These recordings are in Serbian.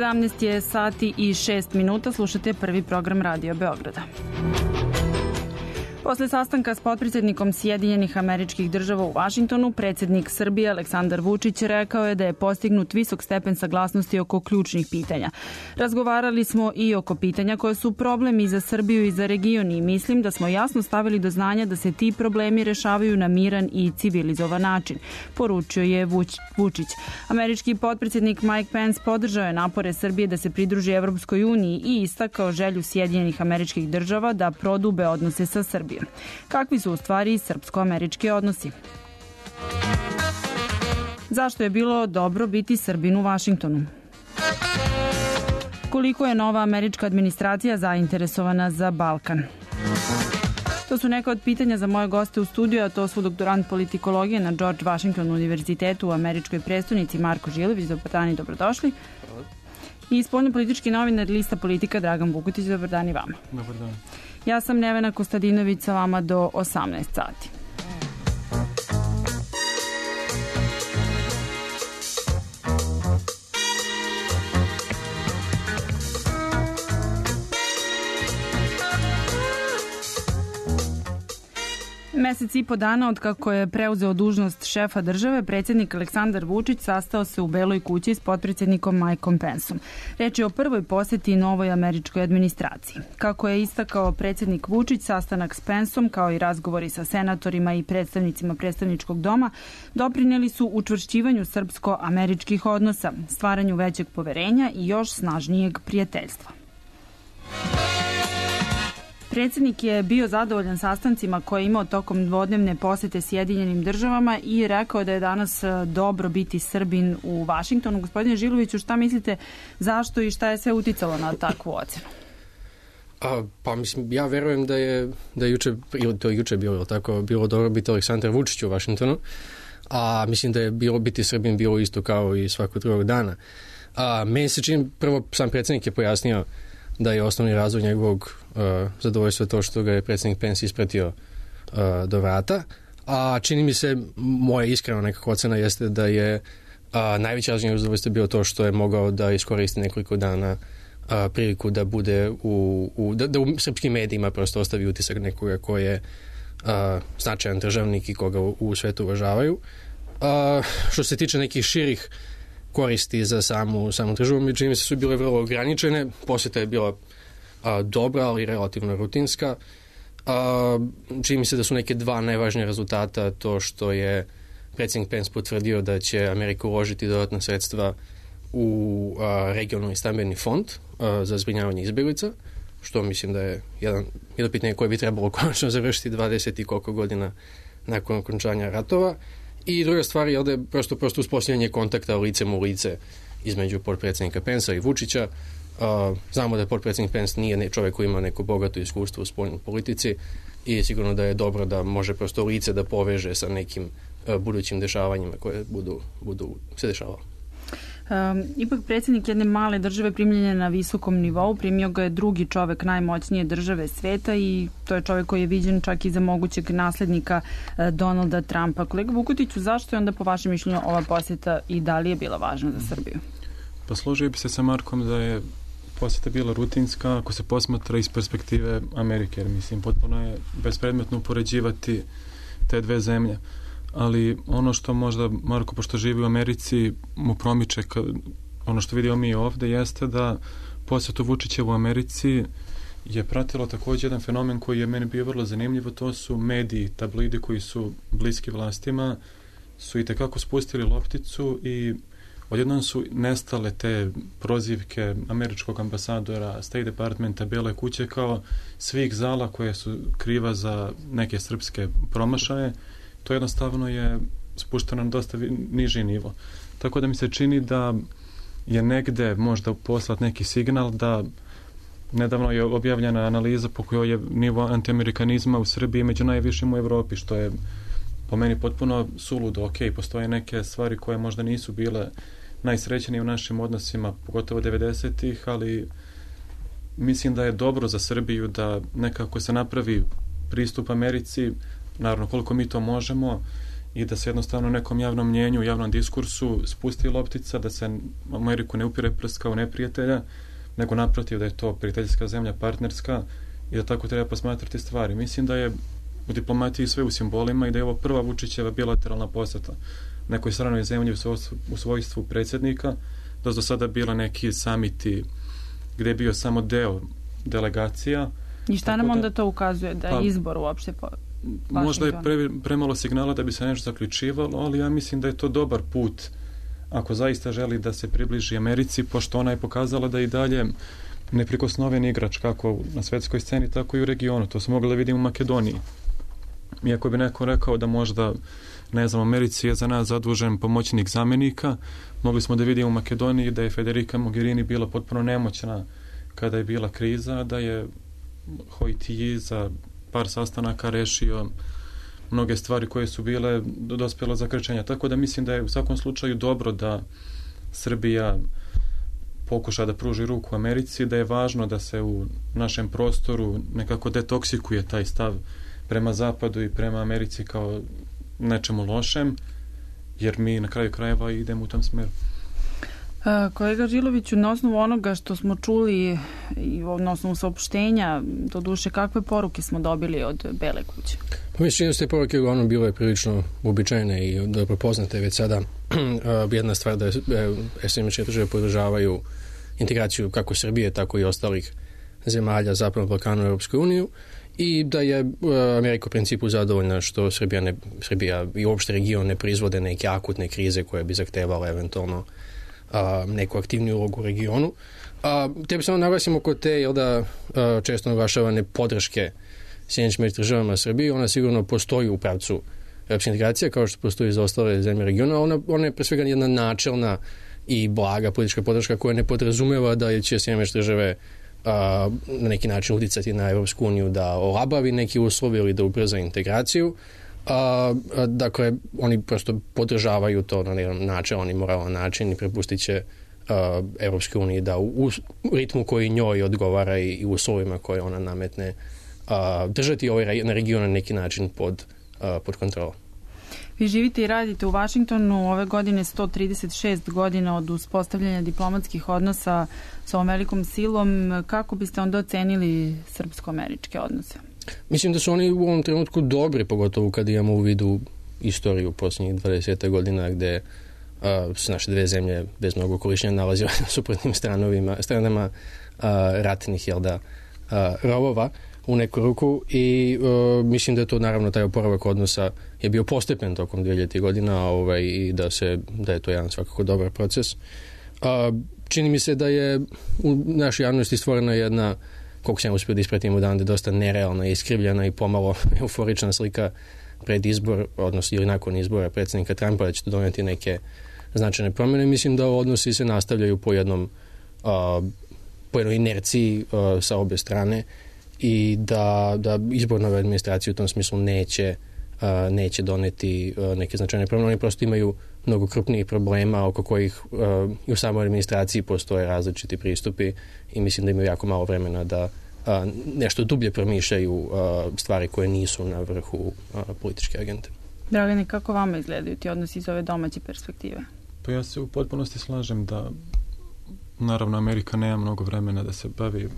17 je sati i 6 minuta, slušate prvi program Radio Beograda. Posle sastanka s potpredsednikom Sjedinjenih Američkih Država u Vašingtonu, predsednik Srbije Aleksandar Vučić rekao je da je postignut visok stepen saglasnosti oko ključnih pitanja. Razgovarali smo i oko pitanja koje su problemi za Srbiju i za region i mislim da smo jasno stavili do znanja da se ti problemi rešavaju na miran i civilizovan način, poručio je Vučić. Američki potpredsednik Mike Pence podržao je napore Srbije da se pridruži Evropskoj uniji i istakao želju Sjedinjenih Američkih Država da prodube odnose sa Srbijom. Kakvi su u stvari srpsko-američki odnosi? Zašto je bilo dobro biti Srbin u Vašingtonu? Koliko je nova američka administracija zainteresovana za Balkan? To su neka od pitanja za moje goste u studiju, a to su doktorant politikologije na George Washington univerzitetu u američkoj prestonici Marko Žilović. Dobar dan i dobrodošli. I spoljnopolitički novinar Lista Politika Dragan Bukutić. Dobar dan i vama. Dobar dan. Ja sam Nevena Kostadinović, sa vama do 18 sati. Mesec i po dana od kako je preuzeo dužnost šefa države, predsjednik Aleksandar Vučić sastao se u Beloj kući s potpredsjednikom Mikeom Penceom. Reč je o prvoj poseti novoj američkoj administraciji. Kako je istakao predsjednik Vučić, sastanak s Penceom, kao i razgovori sa senatorima i predstavnicima predstavničkog doma, doprineli su učvršćivanju srpsko-američkih odnosa, stvaranju većeg poverenja i još snažnijeg prijateljstva. Predsjednik je bio zadovoljan sastancima koje je imao tokom dvodnevne posete Sjedinjenim Državama i rekao da je danas dobro biti Srbin u Vašingtonu. Gospodine Žiloviću, šta mislite, zašto i šta je sve uticalo na takvu ocenu? Pa mislim, ja verujem da je juče bilo dobro biti Aleksandar Vučić u Vašingtonu, a mislim da je bilo biti Srbin bilo isto kao i svakog drugog dana. Meni se čini, prvo sam predsjednik je pojasnio da je osnovni razlog njegovog zadovoljstva to što ga je predsjednik Pence ispratio do vrata, a čini mi se, moja iskrena nekako ocena jeste da je najveći razlog njegovog zadovoljstva bio to što je mogao da iskoristi nekoliko dana priliku da bude da u srpskim medijima prosto ostavi utisak nekoga ko je značajan državnik i koga u svetu uvažavaju. Što se tiče nekih širih koristi za samu državu, mi čini mi se su bile vrlo ograničene. Posjeta je bila dobra, ali relativno rutinska. Čini mi se da su neke dva najvažnije rezultata to što je predsjednik Pence potvrdio da će Amerika uložiti dodatna sredstva u regionalni stambeni fond za zbrinjavanje izbjeglica, što mislim da je jedno pitanje koje bi trebalo konačno završiti 20 i koliko godina nakon okončanja ratova. I druga stvar je da je prosto uspostavljanje kontakta licem u lice između potpredsjednika Pensa i Vučića. Znamo da potpredsjednik Pence nije čovjek koji ima neko bogato iskustvo u spoljnoj politici i sigurno da je dobro da može prosto lice da poveže sa nekim budućim dešavanjima koje budu se dešavalo. Ipak predsjednik jedne male države primljen je na visokom nivou, primio ga je drugi čovek najmoćnije države sveta i to je čovek koji je viđen čak i za mogućeg naslednika Donalda Trumpa. Kolega Vukutiću, zašto je onda po vašem mišljenju ova posjeta i da li je bila važna za Srbiju? Pa složio bi se sa Markom da je posjeta bila rutinska ako se posmatra iz perspektive Amerike, jer mislim potpuno je bespredmetno upoređivati te dve zemlje. Ali ono što možda Marko, pošto živi u Americi, mu promiče ono što vidimo mi ovde jeste da posjetu Vučića u Americi je pratilo također jedan fenomen koji je meni bio vrlo zanimljiv, to su mediji, tabloidi koji su bliski vlastima, su i tekako spustili lopticu i odjednom su nestale te prozivke američkog ambasadora, State Departmenta, Bele kuće kao svih zala koje su kriva za neke srpske promašaje. To jednostavno je spušteno na dosta niži nivo. Tako da mi se čini da je negde možda poslat neki signal da nedavno je objavljena analiza po kojoj je nivo antiamerikanizma u Srbiji među najvišim u Evropi, što je po meni potpuno suludo. Ok, postoje neke stvari koje možda nisu bile najsrećenije u našim odnosima, pogotovo 90-ih, ali mislim da je dobro za Srbiju da nekako se napravi pristup Americi, naravno koliko mi to možemo, i da se jednostavno nekom javnom mnjenju, javnom diskursu spusti loptica, da se Ameriku ne upire prst kao neprijatelja, nego naprotiv da je to prijateljska zemlja, partnerska i da tako treba posmatrati stvari. Mislim da je u diplomatiji sve u simbolima i da je ovo prva Vučićeva bilateralna poseta nekoj stranoj zemlji u svojstvu predsjednika, da su do sada bila neki samiti gdje je bio samo deo delegacija. I šta nam onda to ukazuje? Da je izbor uopšte možda je premalo signala da bi se nešto zaključivalo, ali ja mislim da je to dobar put ako zaista želi da se približi Americi, pošto ona je pokazala da i dalje neprikosnoven igrač kako na svjetskoj sceni, tako i u regionu. To smo mogli da vidimo u Makedoniji. Iako bi neko rekao da možda, ne znam, Americi je za nas zadužen pomoćnik zamjenika, mogli smo da vidimo u Makedoniji da je Federica Mogherini bila potpuno nemoćna kada je bila kriza, da je Hojtiji za par sastanaka rešio mnoge stvari koje su bile dospjele za krčenja. Tako da mislim da je u svakom slučaju dobro da Srbija pokuša da pruži ruku Americi, da je važno da se u našem prostoru nekako detoksikuje taj stav prema Zapadu i prema Americi kao nečemu lošem, jer mi na kraju krajeva idemo u tom smeru. Kolega Žiloviću, na osnovu onoga što smo čuli i na osnovu saopštenja, doduše, kakve poruke smo dobili od Bele kuće? Pa mislim da ste poruke uglavnom bilo je prilično uobičajene i dobro poznate već sada. Jedna stvar da SAD države podržavaju integraciju kako Srbije, tako i ostalih zemalja Zapadnog Balkana u Europskoj uniju i da je Amerika u principu zadovoljna što Srbija i uopšte region ne proizvode neke akutne krize koje bi zahtevale eventualno neku aktivniju ulogu u regionu. Te bi samo naglasimo kod te često naglašavane podrške Sjedinjenim državama Srbiji, ona sigurno postoji u pravcu europske integracije kao što postoji za ostale zemlje regiona. Ona je pre svega jedna načelna i blaga politička podrška koja ne podrazumeva da će Sjedinjene države na neki način uticati na Europsku uniju da olabavi neki uslovi ili da ubrza integraciju. Dakle, oni prosto podržavaju to na jedan načelan i moralan način i prepustit će Europske unije da u ritmu koji njoj odgovara i uslovima koje ona nametne držati ovaj region na neki način pod kontrolom. Vi živite i radite u Vašingtonu, ove godine 136 godina od uspostavljanja diplomatskih odnosa sa ovom velikom silom. Kako biste onda ocenili srpsko-američke odnose? Mislim da su oni u ovom trenutku dobri, pogotovo kad imamo u vidu istoriju posljednjih 20 godina gde su naše dve zemlje bez mnogo korišćenja nalaze na suprotnim stranama ratnih rovova u neku ruku i mislim da je to naravno taj oporavak odnosa je bio postepen tokom 2000 godina i da je to jedan svakako dobar proces. Čini mi se da je u našoj javnosti stvorena jedna, koliko sam uspio da ispratim odande, dosta nerealna, iskrivljena i pomalo euforična slika pred izbor, odnosno ili nakon izbora predsjednika Trumpa da će to doneti neke značajne promjene. Mislim da odnosi se nastavljaju po jednoj inerciji sa obe strane i da izbor nove administracije u tom smislu neće doneti neke značajne promjene. Oni prosto imaju mnogo krupnijih problema oko kojih i u samoj administraciji postoje različiti pristupi i mislim da imaju jako malo vremena da nešto dublje promišljaju stvari koje nisu na vrhu političke agende. Dragane, kako vama izgledaju ti odnosi iz ove domaće perspektive? Pa ja se u potpunosti slažem da naravno Amerika nema mnogo vremena da se bavi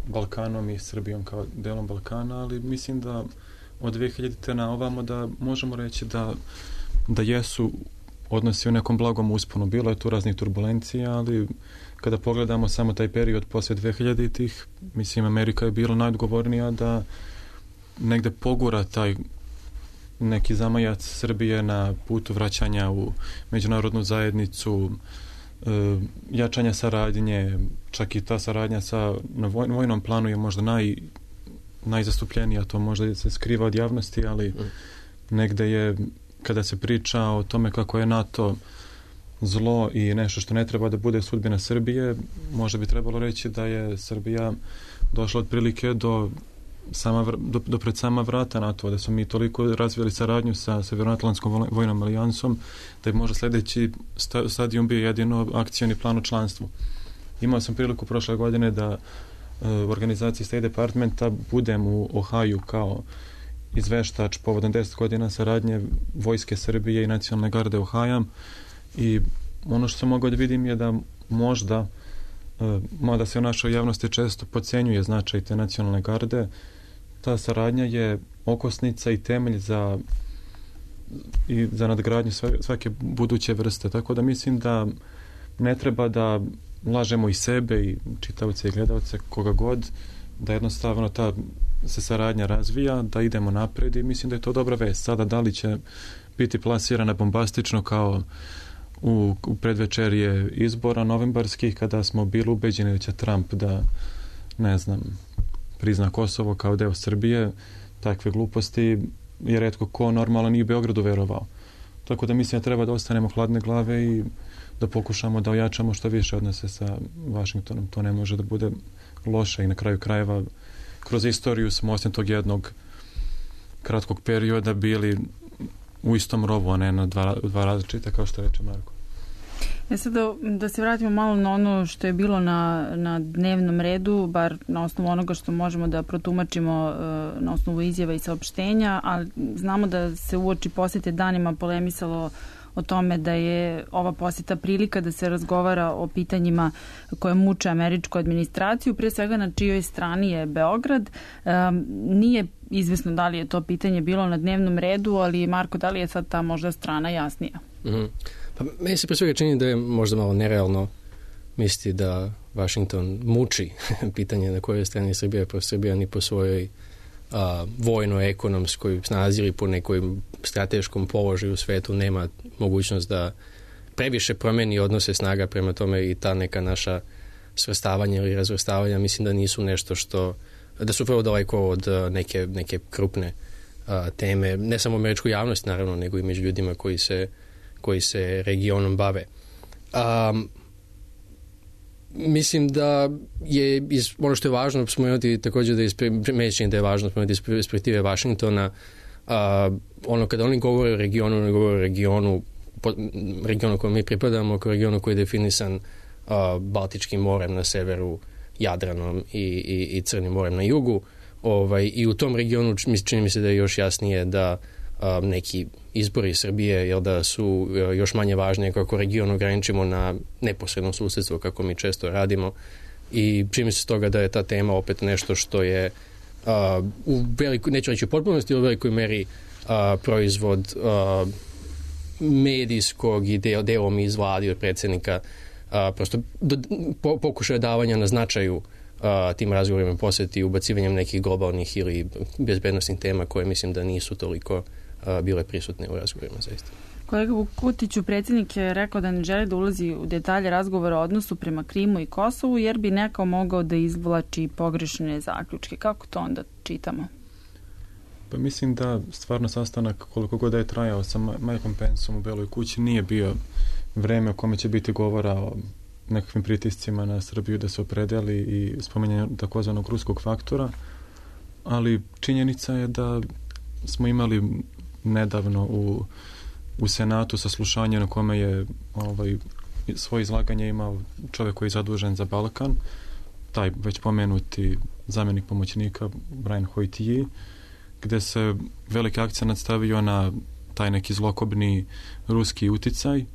Balkanom i Srbijom kao delom Balkana, ali mislim da od 2000. na ovamo da možemo reći da jesu odnosi u nekom blagom usponu. Bilo je tu raznih turbulencija, ali kada pogledamo samo taj period poslije 2000-ih, mislim Amerika je bila najodgovornija da negde pogura taj neki zamajac Srbije na putu vraćanja u međunarodnu zajednicu, jačanja saradnje, čak i ta saradnja na vojnom planu je možda najzastupljenija, to možda se skriva od javnosti, ali negde je, kada se priča o tome kako je NATO zlo i nešto što ne treba da bude sudbina Srbije, možda bi trebalo reći da je Srbija došla otprilike do pred sama vrata NATO, da smo mi toliko razvijali saradnju sa Severnoatlantskom vojnom alijansom, da je možda sljedeći stadijum bio jedino akcioni plan o članstvu. Imao sam priliku prošle godine da u organizaciji State Departmenta budem u Ohaju kao izveštač povodom 10 godina saradnje Vojske Srbije i Nacionalne garde u Hajam, i ono što sam mogao da vidim je da možda, mada se u našoj javnosti često podcenjuje značaj te Nacionalne garde, ta saradnja je okosnica i temelj za nadgradnju svake buduće vrste. Tako da mislim da ne treba da lažemo i sebe i čitaoce i gledalce, koga god, da jednostavno ta se saradnja razvija, da idemo napred, i mislim da je to dobra vest. Sada da li će biti plasirana bombastično kao u predvečerje izbora novembarskih, kada smo bili ubeđeni da će Trump da, ne znam, prizna Kosovo kao deo Srbije, takve gluposti je retko ko normalno nije u Beogradu verovao. Tako da mislim da treba da ostanemo hladne glave i da pokušamo da ojačamo što više odnose sa Vašingtonom. To ne može da bude loše, i na kraju krajeva kroz istoriju smo osim tog jednog kratkog perioda bili u istom rovu, a ne na dva različita, kao što reče Marko. Sad da se vratimo malo na ono što je bilo na dnevnom redu, bar na osnovu onoga što možemo da protumačimo na osnovu izjava i saopštenja, ali znamo da se uoči posete danima polemisalo o tome da je ova poseta prilika da se razgovara o pitanjima koje muče američku administraciju, prije svega na čijoj strani je Beograd. Nije izvesno da li je to pitanje bilo na dnevnom redu, ali Marko, da li je sad ta možda strana jasnija? Pa meni se pre svega čini da je možda malo nerealno misliti da Washington muči pitanje na kojoj strani Srbija, pa Srbija ni po svojoj vojno-ekonomskoj snazi ili po nekoj strateškom položaju u svetu nema mogućnost da previše promeni odnose snaga, prema tome i ta neka naša svrstavanja ili razvrstavanja mislim da nisu nešto što, da su vrlo daleko od neke krupne teme, ne samo američku javnost naravno, nego i među ljudima koji se regionom bave. Mislim da je ono što je važno spomenuti također da je važno spomenuti iz perspektive Vašingtona, ono kada oni govore o regionu, oni govore o regionu kojem mi pripadamo, kao regionu koji je definisan Baltičkim morem na severu, Jadranom i Crnim morem na jugu. I u tom regionu čini mi se da je još jasnije da neki izbori Srbije, jer da su još manje važnije kako region ograničimo na neposredno susjedstvo, kako mi često radimo, i čini se toga da je ta tema opet nešto što je u velikoj, neću reći u potpunosti, u velikoj meri proizvod medijskog i delom iz vladi od predsjednika, prosto pokušaja davanja na značaju tim razgovorima posjeti ubacivanjem nekih globalnih ili bezbednostnih tema koje mislim da nisu toliko bile prisutne u razgovorima zaista. Kolega Vukutiću, predsjednik je rekao da ne želi da ulazi u detalje razgovora o odnosu prema Krimu i Kosovu, jer bi neko mogao da izvlači pogrešne zaključke. Kako to onda čitamo? Pa mislim da stvarno sastanak, koliko god je trajao sa Mikeom Penceom u Beloj kući, nije bio vreme o kome će biti govora o nekakvim pritiscima na Srbiju da se opredeli i spominjanje takozvanog ruskog faktora, ali činjenica je da smo imali nedavno u Senatu saslušanje na kome je svoje izlaganje imao čovjek koji je zadužen za Balkan, taj već pomenuti zamjenik pomoćnika Brian Hoytier, gde se veliki akcent stavio na taj neki zlokobni ruski uticaj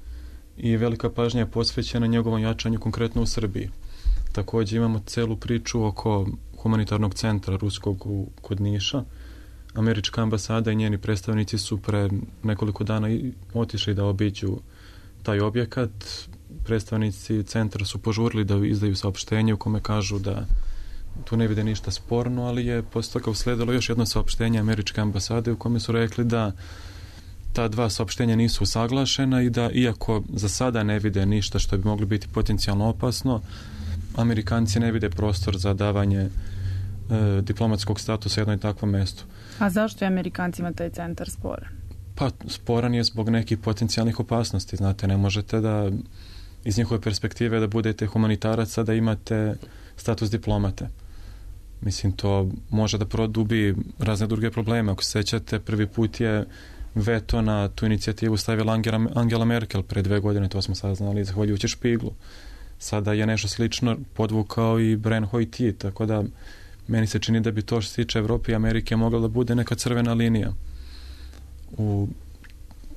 i velika pažnja je posvećena njegovom jačanju konkretno u Srbiji. Također imamo celu priču oko humanitarnog centra ruskog kod Niša. Američka ambasada i njeni predstavnici su pre nekoliko dana otišli da obiđu taj objekat. Predstavnici centra su požurili da izdaju saopštenje u kome kažu da tu ne vide ništa sporno, ali je posle toga usledilo još jedno saopštenje američke ambasade u kome su rekli da ta dva saopštenja nisu usaglašena i da iako za sada ne vide ništa što bi moglo biti potencijalno opasno, Amerikanci ne vide prostor za davanje diplomatskog statusa jednoj takvom mestu. A zašto je Amerikancima taj centar sporan? Pa sporan je zbog nekih potencijalnih opasnosti. Znate, ne možete da iz njihove perspektive da budete humanitaraca, da imate status diplomate. Mislim, to može da produbi razne druge probleme. Ako se sećate, prvi put je veto na tu inicijativu stavila Angela Merkel pre 2 godine, to smo saznali zahvaljujući Špiglu. Sada je nešto slično podvukao i Brian Hoytier, tako da meni se čini da bi to što se tiče Evrope i Amerike mogla da bude neka crvena linija u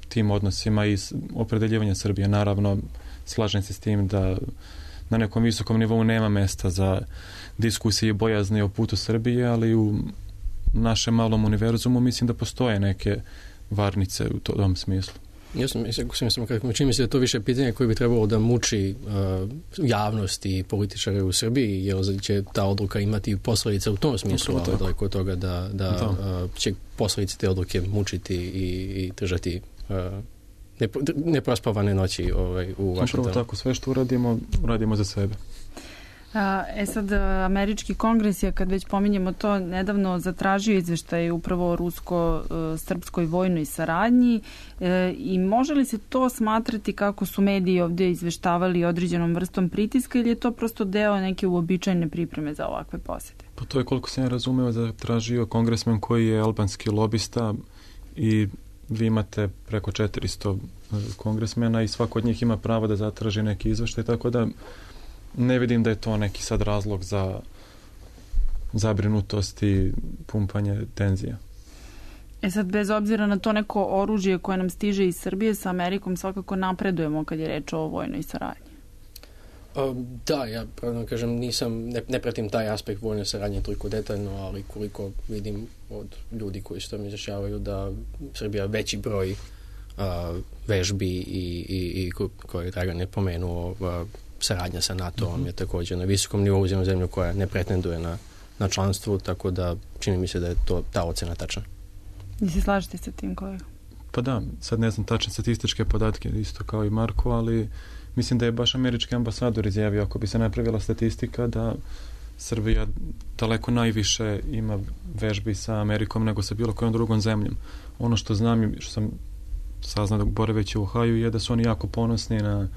tim odnosima i opredeljivanja Srbije. Naravno, slažem se s tim da na nekom visokom nivou nema mesta za diskusije i bojazni o putu Srbije, ali u našem malom univerzumu mislim da postoje neke varnice u tom smislu. Čini mi se da je to više pitanje koje bi trebalo da muči javnost i političare u Srbiji, jer će ta odluka imati posljedice u tom smislu, ali daleko od toga da će posljedice te odluke mučiti i držati neprospavane noći u Vašingtonu. Upravo tako, sve što uradimo za sebe. Sad, američki kongres je, kad već pominjemo to, nedavno zatražio izveštaj upravo o rusko-srpskoj vojnoj saradnji i može li se to smatrati, kako su mediji ovdje izveštavali, određenom vrstom pritiska, ili je to prosto deo neke uobičajene pripreme za ovakve posjete? Pa to je, koliko sam ja razumeo, zatražio kongresmen koji je albanski lobista i vi imate preko 400 kongresmena i svako od njih ima pravo da zatraži neki izveštaj, tako da ne vidim da je to neki sad razlog za zabrinutost i pumpanje tenzija. Sad, bez obzira na to neko oružje koje nam stiže iz Srbije, sa Amerikom svakako napredujemo kad je reč o vojnoj saradnji. Da, ja pravno kažem, ne pratim taj aspekt vojne saradnje toliko detaljno, ali koliko vidim od ljudi koji se tam izjašnjavaju da Srbija veći broj vežbi i koje je Dragan je pomenuo, saradnja sa NATO-om je također na visokom nivou za zemlju koja ne pretenduje na članstvu, tako da čini mi se da je to ta ocena tačna. I se slažete sa tim, kolega? Pa da, sad ne znam tačne statističke podatke, isto kao i Marko, ali mislim da je baš američki ambasador izjavio, ako bi se napravila statistika, da Srbija daleko najviše ima vežbi sa Amerikom nego sa bilo kojom drugom zemljom. Ono što znam i što sam saznao da boraveći u Ohaju je da su oni jako ponosni na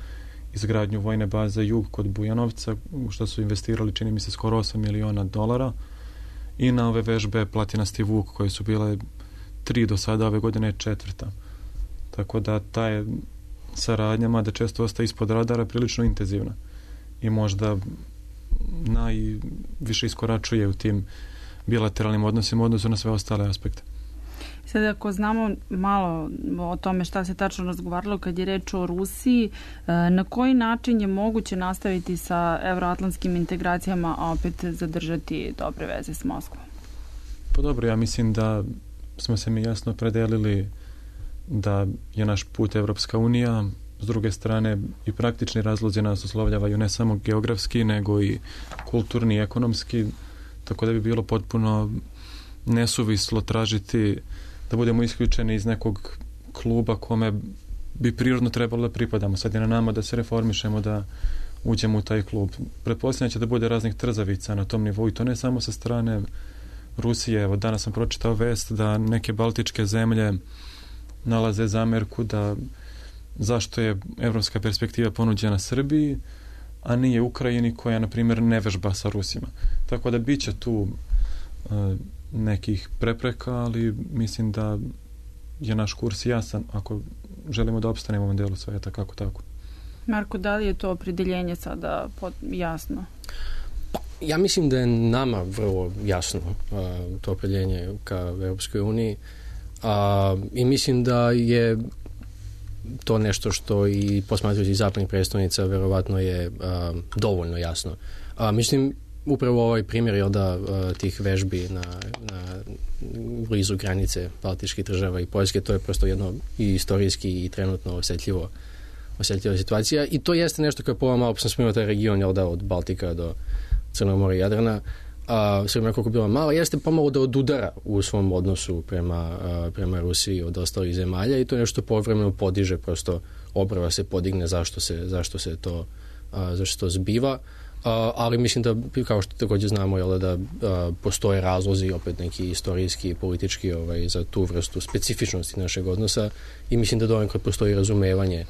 izgradnju vojne baze Jug kod Bujanovca, u što su investirali, čini mi se, skoro $8 miliona i na ove vežbe Platinasti Vuk, koje su bile 3 do sada, ove godine je 4. Tako da ta je saradnja, mada često ostaje ispod radara, prilično intenzivna i možda najviše iskoračuje u tim bilateralnim odnosima u odnosu na sve ostale aspekte. Sad, ako znamo malo o tome šta se tačno razgovaralo kad je reč o Rusiji, na koji način je moguće nastaviti sa evroatlantskim integracijama, a opet zadržati dobre veze s Moskvom? Pa dobro, ja mislim da smo se mi jasno predelili da je naš put Evropska unija, s druge strane i praktični razlozi nas uslovljavaju ne samo geografski, nego i kulturni i ekonomski, tako da bi bilo potpuno nesuvislo tražiti da budemo isključeni iz nekog kluba kome bi prirodno trebalo da pripadamo. Sad je na nama da se reformišemo, da uđemo u taj klub. Pretpostavljam će da bude raznih trzavica na tom nivou i to ne samo sa strane Rusije. Evo, danas sam pročitao vest da neke baltičke zemlje nalaze zamerku da zašto je evropska perspektiva ponuđena Srbiji, a nije Ukrajini koja, na primjer, ne vežba sa Rusima. Tako da bit će tu nekih prepreka, ali mislim da je naš kurs jasan ako želimo da opstanemo u ovom delu sveta, kako tako. Marko, da li je to opredeljenje sada jasno? Ja mislim da je nama vrlo jasno to opredeljenje ka Europskoj uniji i mislim da je to nešto što i posmatrajući zapadnih predstavnica verovatno je dovoljno jasno. Mislim, upravo ovaj primjer tih vežbi na blizu granice Baltičkih država i Poljske, to je prosto jedno i istorijski i trenutno osjetljiva situacija i to jeste nešto koje po malo sam spomenuo taj region od Baltika do Crnog mora i Jadrana, Srbija koliko bila mala, jeste pomalo da odudara u svom odnosu prema Rusiji od ostalih zemalja i to je nešto povremeno podiže, prosto obrava se podigne zašto se to zbiva. Ali mislim da, kao što također znamo, da postoje razlozi, opet neki istorijski i politički za tu vrstu specifičnosti našeg odnosa i mislim da donekle postoji razumevanje,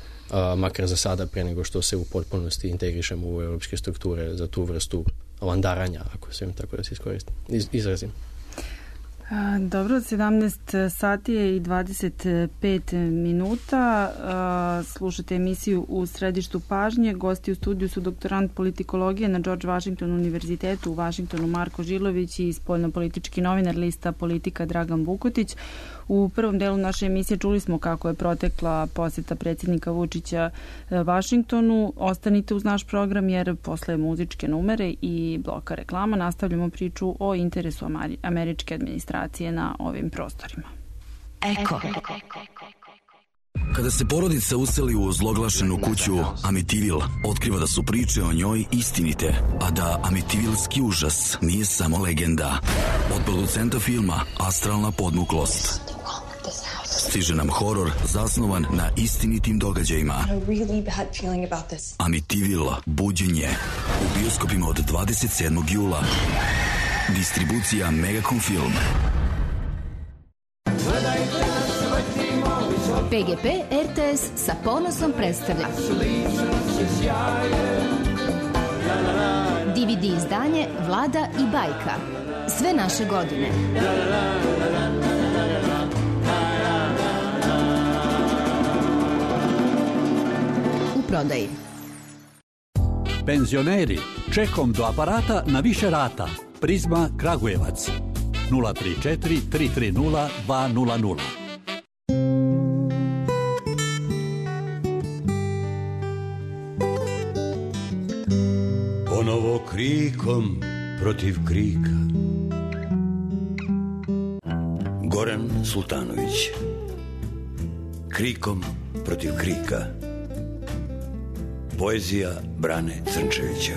makar za sada, pre nego što se u potpunosti integrišemo u europske strukture za tu vrstu landaranja, ako se tako da se izrazim. Dobro, 17 sati je i 25 minuta. Slušate emisiju U središtu pažnje. Gosti u studiju su doktorant politikologije na George Washington univerzitetu u Vašingtonu Marko Žilović i spoljnopolitički novinar lista Politika Dragan Vukotić. U prvom delu naše emisije čuli smo kako je protekla posjeta predsjednika Vučića Vašingtonu. Ostanite uz naš program jer posle muzičke numere i bloka reklama nastavljamo priču o interesu američke administracije na ovim prostorima. Eko. Kada se porodica useli u ozloglašenu kuću Amityville, otkriva da su priče o njoj istinite, a da Amityvilski užas nije samo legenda. Od producenta filma Astralna podmuklost stiže nam horor zasnovan na istinitim događajima. Amityville, buđenje, u bioskopima od 27. jula. Distribucija Megacom Film. PGP RTS sa ponosom predstavlja DVD izdanje Vlada i bajka. Sve naše godine. U prodaji. Penzioneri, čekom do aparata na više rata. Prizma Kragujevac 034 330 200. Ponovo krikom protiv krika. Goran Sultanović. Krikom protiv krika. Poezija Brane Crnčevića.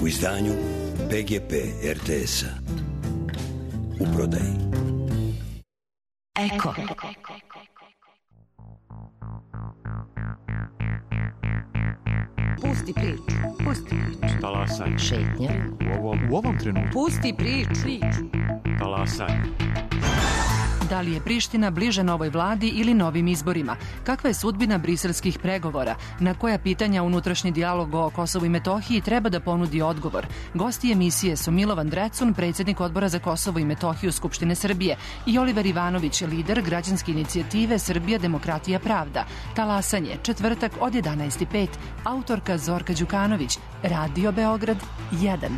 U izdanju PGP RTS-a. U prodaji. Eko. Pusti priču. Pusti priču. Talasaj. Šetnja. U ovom trenutku. Pusti priču. Talasaj. Da li je Priština bliža novoj vladi ili novim izborima? Kakva je sudbina briselskih pregovora? Na koja pitanja unutrašnji dijalog o Kosovu i Metohiji treba da ponudi odgovor? Gosti emisije su Milovan Drecun, predsjednik Odbora za Kosovo i Metohiju Skupštine Srbije, i Oliver Ivanović, lider građanske inicijative Srbija, demokratija, pravda. Talasanje, četvrtak od 11:05. Autorka Zorka Đukanović. Radio Beograd 1.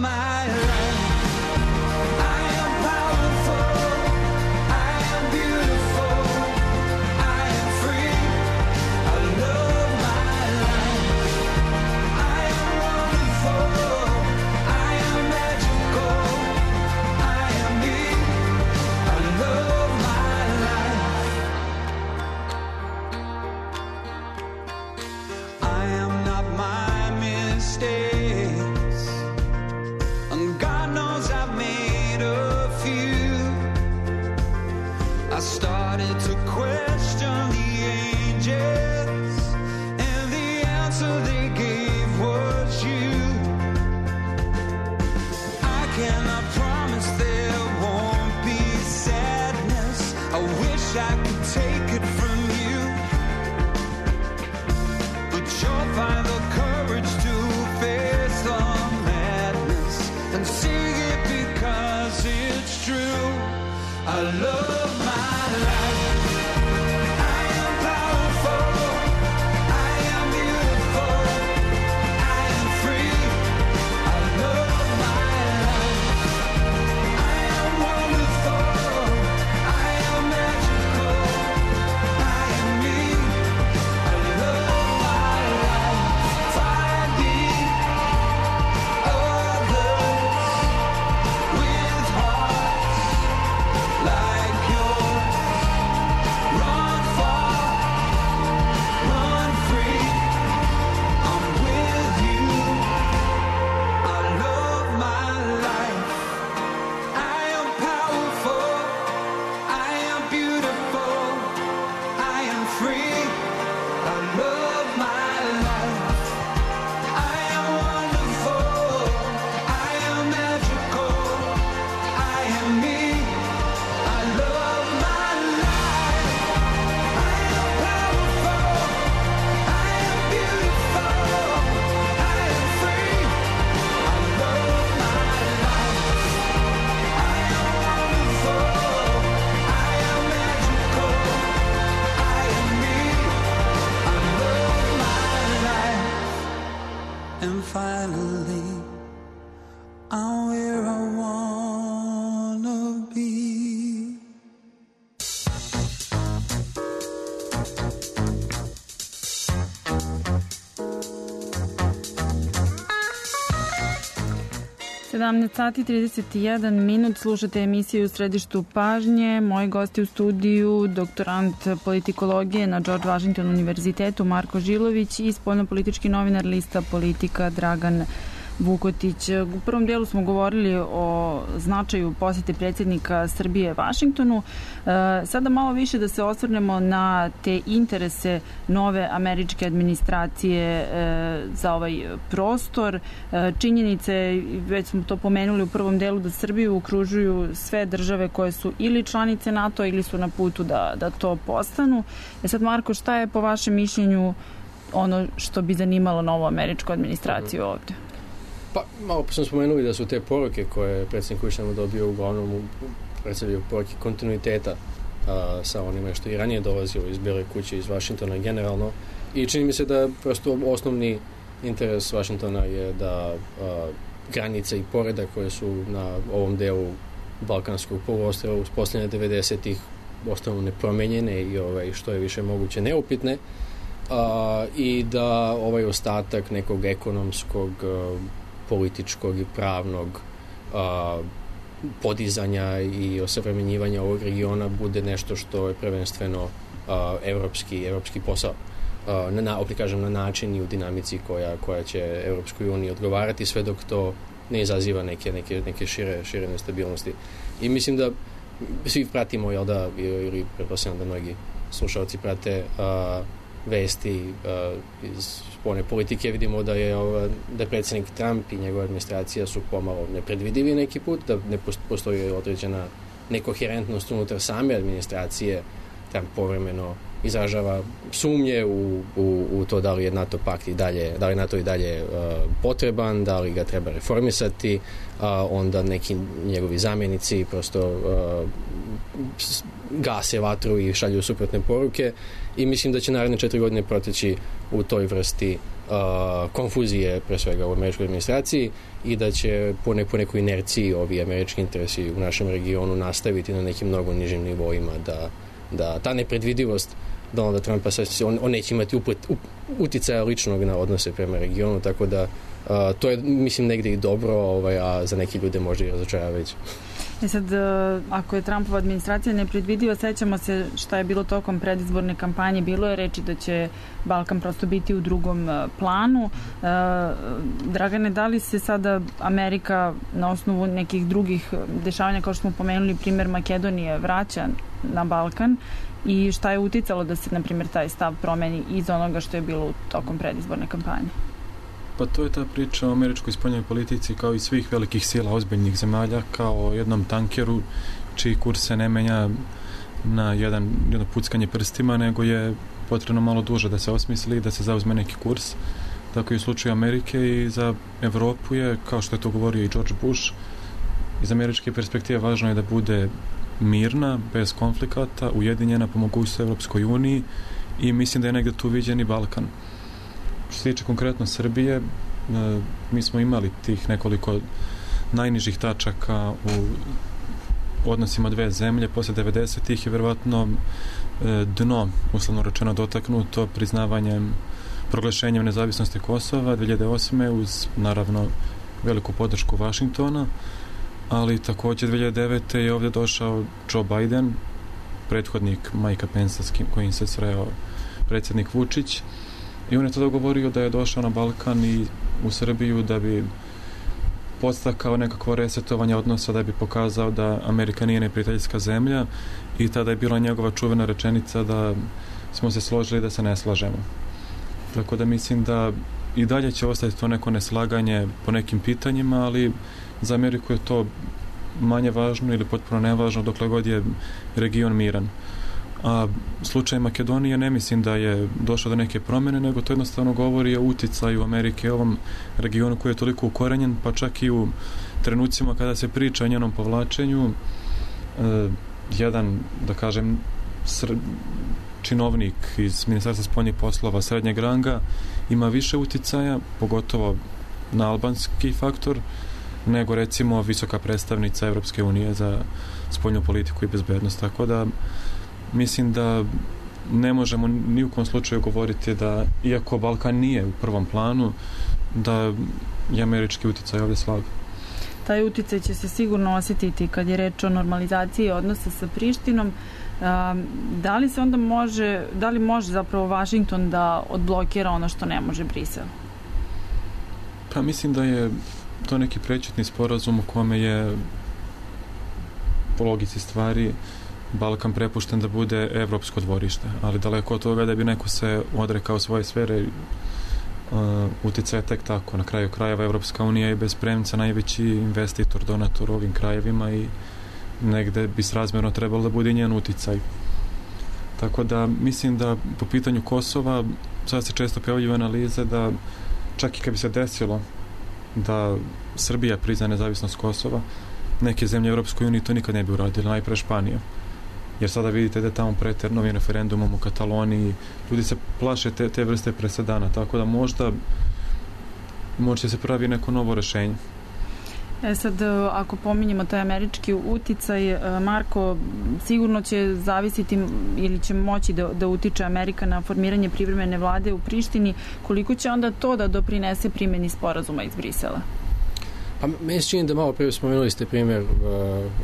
Magical. and finally I'm where I wanna be. Sati 31 minut, slušate emisiju u središtu pažnje. Moji gosti u studiju, doktorant politikologije na George Washington univerzitetu Marko Žilović i spoljnopolitički novinar lista Politika Dragan Vukotić. U prvom dijelu smo govorili o značaju posete predsjednika Srbije Vašingtonu. Sada malo više da se osvrnemo na te interese nove američke administracije za ovaj prostor. Činjenice, već smo to pomenuli u prvom dijelu, da Srbiju okružuju sve države koje su ili članice NATO ili su na putu da to postanu. Sad, Marko, šta je po vašem mišljenju ono što bi zanimalo novu američku administraciju ovdje? Pa, malo smo spomenuli da su te poruke koje je predsjednik Vučić dobio uglavnom predstavljaju poruke kontinuiteta sa onime što i ranije dolazilo iz Bijele kuće, iz Vašingtona generalno. I čini mi se da prosto osnovni interes Vašingtona je da granice i poredak koje su na ovom delu Balkanskog poluostrva uspostavljene 90-ih ostanu nepromenjene i što je više moguće neupitne. I da ovaj ostatak nekog ekonomskog, političkog i pravnog podizanja i osavremenjivanja ovog regiona bude nešto što je prvenstveno evropski posao. Opet kažem, na način i u dinamici koja će Evropskoj uniji odgovarati, sve dok to ne izaziva neke šire nestabilnosti. I mislim da svi pratimo, ili pretpostavljam da mnogi slušalci prate vesti iz spoljne politike, vidimo da je predsjednik Trump i njegova administracija su pomalo nepredvidivi neki put, da ne postoji određena nekoherentnost unutar same administracije. Trump povremeno izražava sumnje u to da li je NATO pakt i dalje, da li NATO i dalje potreban, da li ga treba reformisati, onda neki njegovi zamjenici prosto gase vatru i šalju suprotne poruke i mislim da će naredne 4 godine proteći u toj vrsti konfuzije, pre svega u američkoj administraciji, i da će po nekoj inerciji ovi američki interesi u našem regionu nastaviti na nekim mnogo nižim nivoima, da ta nepredvidivost Donalda Trumpa, on neće imati uticaja ličnog na odnose prema regionu, tako da to je, mislim, negdje i dobro, a za neki ljude možda i razočaravajuće. Sad, ako je Trumpova administracija nepredvidiva, sećamo se šta je bilo tokom predizborne kampanje. Bilo je reči da će Balkan prosto biti u drugom planu. Dragane, da li se sada Amerika na osnovu nekih drugih dešavanja, kao što smo pomenuli, primjer Makedonije, vraća na Balkan i šta je uticalo da se, na primjer, taj stav promeni iz onoga što je bilo tokom predizborne kampanje? Pa to je ta priča o američkoj spoljnoj politici, kao i svih velikih sila ozbiljnih zemalja, kao jednom tankeru čiji kurs se ne menja na jedno puckanje prstima, nego je potrebno malo duže da se osmisli i da se zauzme neki kurs. Tako i u slučaju Amerike i za Evropu je, kao što je to govorio i George Bush, iz američke perspektive važno je da bude mirna, bez konflikata, ujedinjena po mogućnosti Evropskoj uniji, i mislim da je negdje tu viđen i Balkan. Što se tiče konkretno Srbije, mi smo imali tih nekoliko najnižih tačaka u odnosima dve zemlje. Posle 90-ih je verovatno dno, uslovno rečeno, dotaknuto priznavanjem, proglašenjem nezavisnosti Kosova 2008. uz, naravno, veliku podršku Vašingtona, ali također 2009. je ovdje došao Joe Biden, prethodnik Mikea Pensa s kojim se sreo predsjednik Vučić, i on je tada govorio da je došao na Balkan i u Srbiju da bi podstakao nekakvo resetovanje odnosa, da bi pokazao da Amerika nije neprijateljska zemlja, i tada je bila njegova čuvena rečenica da smo se složili da se ne slažemo. Tako da mislim da i dalje će ostati to neko neslaganje po nekim pitanjima, ali za Ameriku je to manje važno ili potpuno nevažno dokle god je region miran. A slučaj Makedonije ne mislim da je došlo do neke promjene, nego to jednostavno govori o uticaju Amerike u ovom regionu koji je toliko ukorenjen, pa čak i u trenucima kada se priča o njenom povlačenju, jedan, da kažem, činovnik iz Ministarstva spoljnih poslova srednjeg ranga ima više uticaja, pogotovo na albanski faktor, nego recimo visoka predstavnica Evropske unije za spoljnu politiku i bezbednost. Tako da mislim da ne možemo ni u kom slučaju govoriti da, iako Balkan nije u prvom planu, da je američki uticaj ovdje slab. Taj uticaj će se sigurno osjetiti kad je reč o normalizaciji odnosa sa Prištinom. Da li se onda može zapravo Vašington da odblokira ono što ne može Brisel? Pa mislim da je to neki prečetni sporazum u kome je po logici stvari Balkan prepušten da bude evropsko dvorište, ali daleko od toga da bi neko se odrekao svoje sfere uticaja tek tako. Na kraju krajeva Evropska unija je bez premca najveći investitor, donator u ovim krajevima i negde bi srazmjerno trebalo da bude njen uticaj. Tako da mislim da po pitanju Kosova sad se često pojavljuju analize da čak i kad bi se desilo da Srbija prizna nezavisnost Kosova, neke zemlje u Europskoj uniji to nikad ne bi uradili, najpre Španija. Jer sada vidite da je tamo preter novim referendumom u Kataloniji, ljudi se plaše te vrste presedana, tako da možda će se pravi neko novo rešenje. Sad, ako pominjemo taj američki uticaj, Marko, sigurno će zavisiti ili će moći da utiče Amerika na formiranje privremene vlade u Prištini. Koliko će onda to da doprinese primjeni sporazuma iz Brisela? Pa meni se čini da malo prije spomenuli ste primjer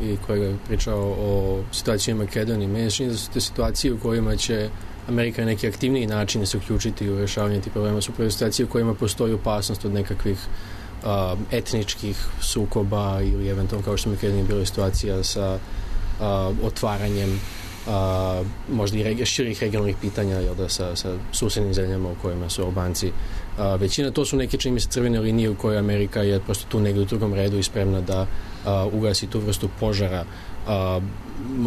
i kolega je pričao o situaciji u Makedoniji. Meni se čini da su te situacije u kojima će Amerika na neki aktivniji način se uključiti u rješavanje tih problema su prve situacije u kojima postoji opasnost od nekakvih etničkih sukoba ili eventualno kao što u Makedoniji bila situacija sa otvaranjem možda i širih regionalnih pitanja sa susednim zemljama u kojima su Albanci većina. To su neke, čini mi se, crvene linije u kojoj Amerika je prosto tu negdje u drugom redu i spremna da ugasi tu vrstu požara.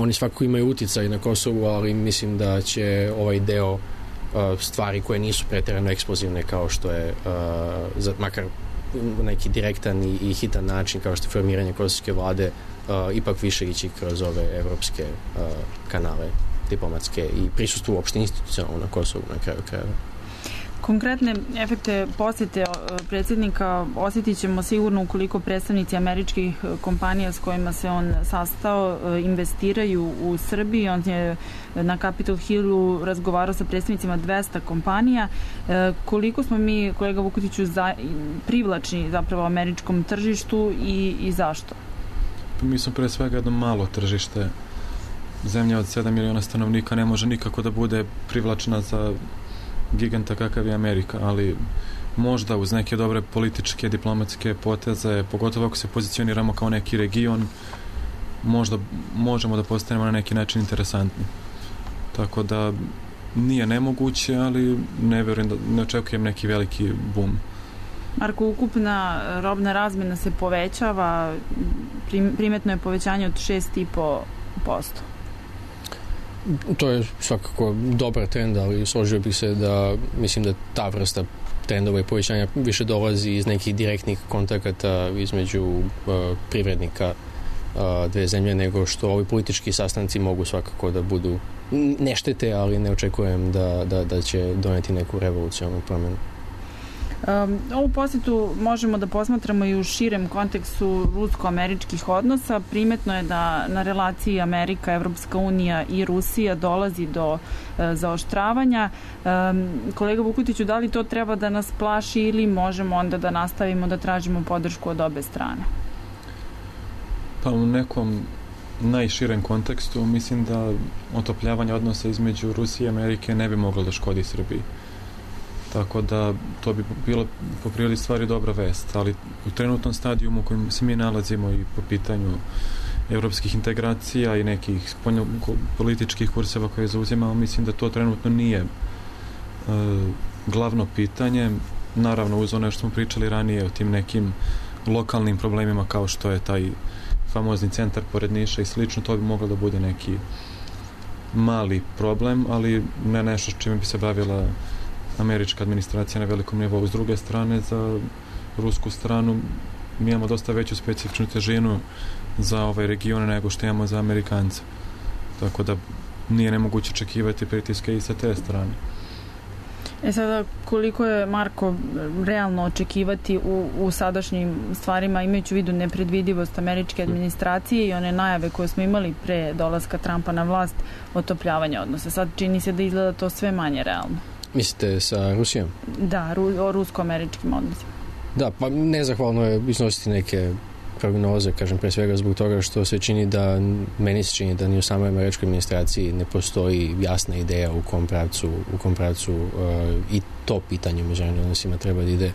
Oni svakako imaju uticaj na Kosovu, ali mislim da će ovaj deo stvari koje nisu pretjerano eksplozivne kao što je makar neki direktan i hitan način kao što je formiranje kosovske vlade ipak više ići kroz ove evropske kanale diplomatske i prisustvo uopšte institucionalno na Kosovu na kraju krajeva. Konkretne efekte posjete predsjednika osjetit ćemo sigurno ukoliko predstavnici američkih kompanija s kojima se on sastao investiraju u Srbiji. On je na Capitol Hillu razgovarao sa predstavnicima 200 kompanija. Koliko smo mi, kolega Vukutiću, privlačni zapravo američkom tržištu i zašto? Mi smo pre svega jedno malo tržište. Zemlja od 7 miliona stanovnika ne može nikako da bude privlačna za giganta kakav je Amerika, ali možda uz neke dobre političke, diplomatske poteze, pogotovo ako se pozicioniramo kao neki region, možda možemo da postanemo na neki način interesantni. Tako da nije nemoguće, ali ne očekujem neki veliki boom. Marko, ukupna robna razmjena se povećava, primetno je povećanje od 6,5%. To je svakako dobar trend, ali složio bih se da mislim da ta vrsta trendova i povećanja više dolazi iz nekih direktnih kontakata između privrednika dve zemlje, nego što ovi politički sastanci mogu svakako da budu ne štete, ali ne očekujem da će doneti neku revolucionalnu promjenu. Ovu posjetu možemo da posmatramo i u širem kontekstu rusko-američkih odnosa. Primetno je da na relaciji Amerika, Evropska unija i Rusija dolazi do zaoštravanja. Kolega Vukutiću, da li to treba da nas plaši ili možemo onda da nastavimo da tražimo podršku od obe strane? Pa u nekom najširem kontekstu mislim da otopljavanje odnosa između Rusije i Amerike ne bi moglo da škodi Srbiji. Tako da to bi bilo po prirodi stvari dobra vest, ali u trenutnom stadijumu u kojem se mi nalazimo i po pitanju evropskih integracija i nekih političkih kurseva koje zauzimamo, mislim da to trenutno nije glavno pitanje. Naravno, uz ono što smo pričali ranije o tim nekim lokalnim problemima kao što je taj famozni centar pored Niša i slično, to bi moglo da bude neki mali problem, ali ne nešto čime bi se bavila američka administracija na velikom nivou. S druge strane, za rusku stranu mi imamo dosta veću specifičnu težinu za ovaj region nego što imamo za Amerikance. Tako da nije nemoguće očekivati pritiske i sa te strane. Sada, koliko je, Marko, realno očekivati u sadašnjim stvarima, imajući u vidu nepredvidivost američke administracije i one najave koje smo imali pre dolaska Trumpa na vlast, otopljavanja odnosa? Sad čini se da izgleda to sve manje realno. Mislite sa Rusijom? Da, o rusko-američkim odnosima. Da, pa nezahvalno je iznositi neke prognoze, kažem, pre svega zbog toga što se čini da, meni se čini da ni u samoj američkoj administraciji ne postoji jasna ideja u kom pravcu i to pitanje u međunarodnim odnosima treba da ide.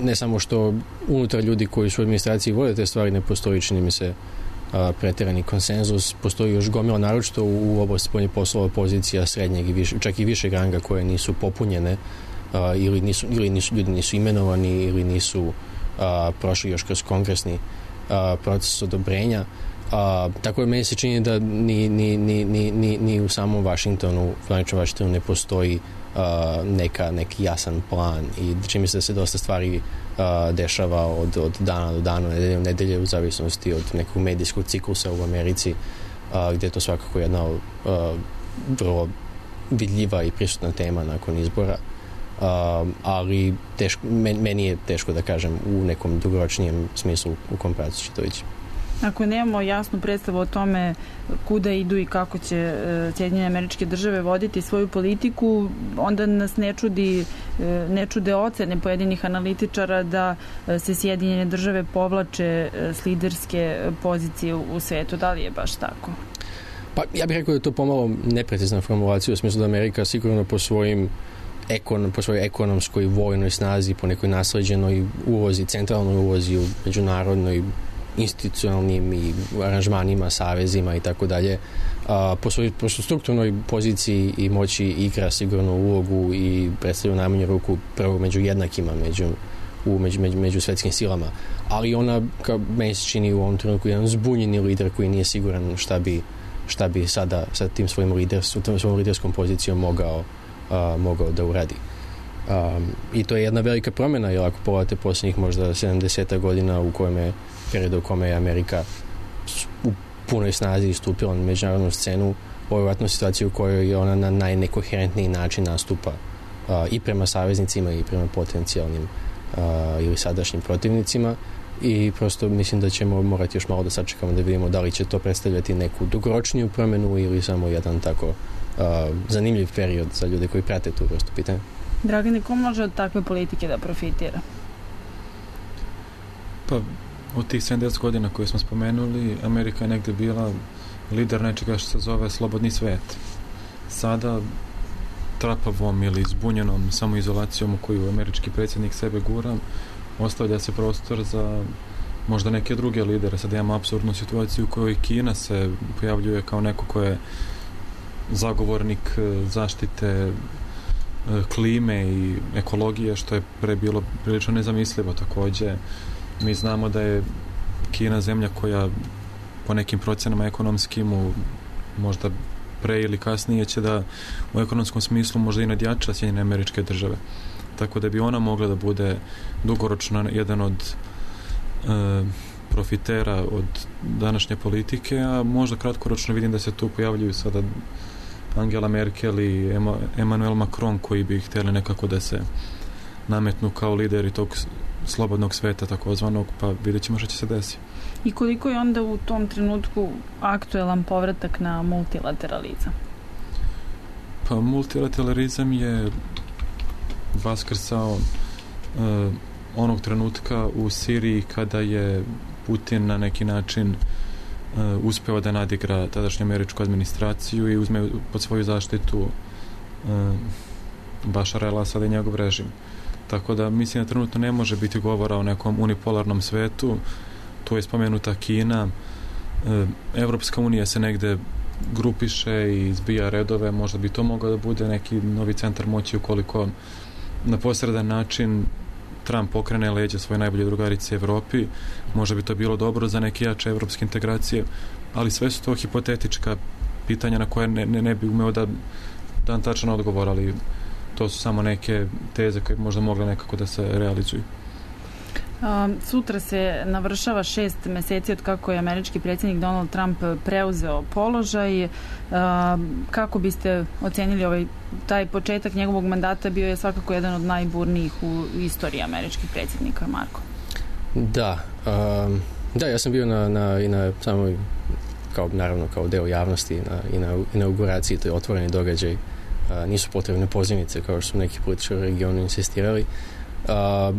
Ne samo što unutar ljudi koji su u administraciji vode te stvari ne postoji, čini mi se, preterani konsenzus, postoji još gomila naročito u oblasti spoljnih poslova pozicija srednjeg i više, čak i višeg ranga koje nisu popunjene ili ljudi nisu imenovani ili nisu prošli još kroz kongresni proces odobrenja. Tako je meni se čini da ni u samom Vašingtonu ne postoji neki jasan plan i čini mi se da se dosta stvari dešava od dana do dana, nedelje u nedelje, u zavisnosti od nekog medijskog ciklusa u Americi, gdje je to svakako jedna vrlo vidljiva i prisutna tema nakon izbora. Ali meni je teško da kažem u nekom dugoročnijem smislu u kom pravcu će to ići. Ako nemamo jasnu predstavu o tome kuda idu i kako će Sjedinjene Američke Države voditi svoju politiku, onda nas ne čude ocene pojedinih analitičara da se Sjedinjene Države povlače s liderske pozicije u svetu. Da li je baš tako? Pa ja bih rekao da je to pomalo neprecizna formulacija u smislu da Amerika sigurno po svojoj ekonomskoj vojnoj snazi, po nekoj nasleđenoj ulozi, centralnoj ulozi u međunarodnoj institucionalnim i aranžmanima, savezima i tako dalje, po svojoj strukturnoj poziciji i moći igra sigurno ulogu i predstavlja u najmanju ruku prvo među jednakima, među svetskim silama. Ali ona, kao meni se čini u ovom trenutku, jedan zbunjeni lider koji nije siguran šta bi sada sa tim svojom liderskom pozicijom mogao da uradi. I to je jedna velika promjena, jer ako pogledate posljednjih možda 70 godina u periodu u kome je Amerika u punoj snazi istupila na međunarodnu scenu, ovo je vjerojatno situacija u kojoj je ona na najnekoherentniji način nastupa i prema saveznicima i prema potencijalnim ili sadašnjim protivnicima, i prosto mislim da ćemo morati još malo da sačekamo da vidimo da li će to predstavljati neku dugoročniju promjenu ili samo jedan tako zanimljiv period za ljude koji prate tu vrstu pitanja. Dragane, ko može od takve politike da profitira? Pa, od tih 70 godina koje smo spomenuli, Amerika je negdje bila lider nečega što se zove slobodni svet. Sada trapavom ili zbunjenom samoizolacijom u koju američki predsjednik sebe gura, ostavlja se prostor za možda neke druge lidere. Sad imamo apsurdnu situaciju u kojoj Kina se pojavljuje kao neko ko je zagovornik zaštite klime i ekologije, što je pre bilo prilično nezamislivo. Također, mi znamo da je Kina zemlja koja po nekim procjenama ekonomskim možda pre ili kasnije će da u ekonomskom smislu možda i nadjača Sjedinjene Američke Države. Tako da bi ona mogla da bude dugoročno jedan od profitera od današnje politike, a možda kratkoročno vidim da se tu pojavljuju sada Angela Merkel i Emmanuel Macron, koji bi htjeli nekako da se nametnu kao lideri tog slobodnog sveta takozvanog, pa vidjet ćemo što će se desiti. I koliko je onda u tom trenutku aktuelan povratak na multilateralizam? Pa multilateralizam je vaskrsao onog trenutka u Siriji kada je Putin na neki način uspeo da nadigra tadašnju američku administraciju i uzme pod svoju zaštitu Bašara el-Asada i njegov režim. Tako da mislim da trenutno ne može biti govora o nekom unipolarnom svetu. Tu je spomenuta Kina. Evropska unija se negde grupiše i zbija redove. Možda bi to mogao da bude neki novi centar moći ukoliko na posredan način Trump pokrene leđa svoje najbolje drugarice Evropi. Možda bi to bilo dobro za neke jače evropske integracije, ali sve su to hipotetička pitanja na koje ne bi umeo da dan tačan odgovor, ali to su samo neke teze koje možda mogle nekako da se realizuju. Sutra se navršava 6 meseci od kako je američki predsjednik Donald Trump preuzeo položaj. Kako biste ocenili taj početak njegovog mandata? Bio je svakako jedan od najburnijih u istoriji američkih predsjednika, Marko. Da, ja sam bio i na samoj, naravno kao deo javnosti i na inauguraciji, to je otvoreni događaj. Nisu potrebne pozivnice kao što su neki političari u regionu insistirali.